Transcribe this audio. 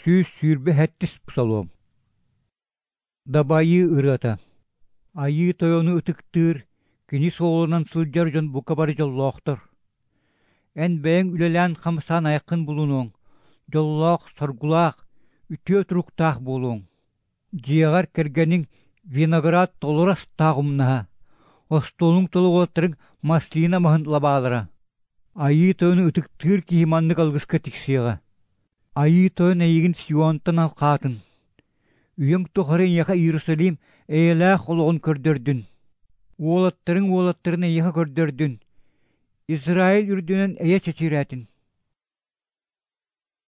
127 псалом. Дабайыы ырыата. Айыы Тойону ытыктыыр, кини суолунан сылдьар дьон бука бары дьоллоохтор. Эн бэйэҥ үлэлээн-хамсаан айаххын булунуоҥ, дьоллоох, соргулаах, үтүө туруктаах буолуоҥ. Дьиэҕэр кэргэниҥ виноград толору астаах умнаһа, остуолуҥ тула уолаттарыҥ маслина маһын лабаалара. Айыы Тойону ытыктыыр киһи маннык алгыска тиксиэҕэ. Айыы Тойон эйигин Сионтан алҕаатын, үйэҥ тухары эйиэхэ Иерусалим эйэлээх олоҕун көрдөрдүн. Уолаттарыҥ уолаттарын эйиэхэ көрдөрдүн, Израиль үрдүнэн эйэ чэчирээтин.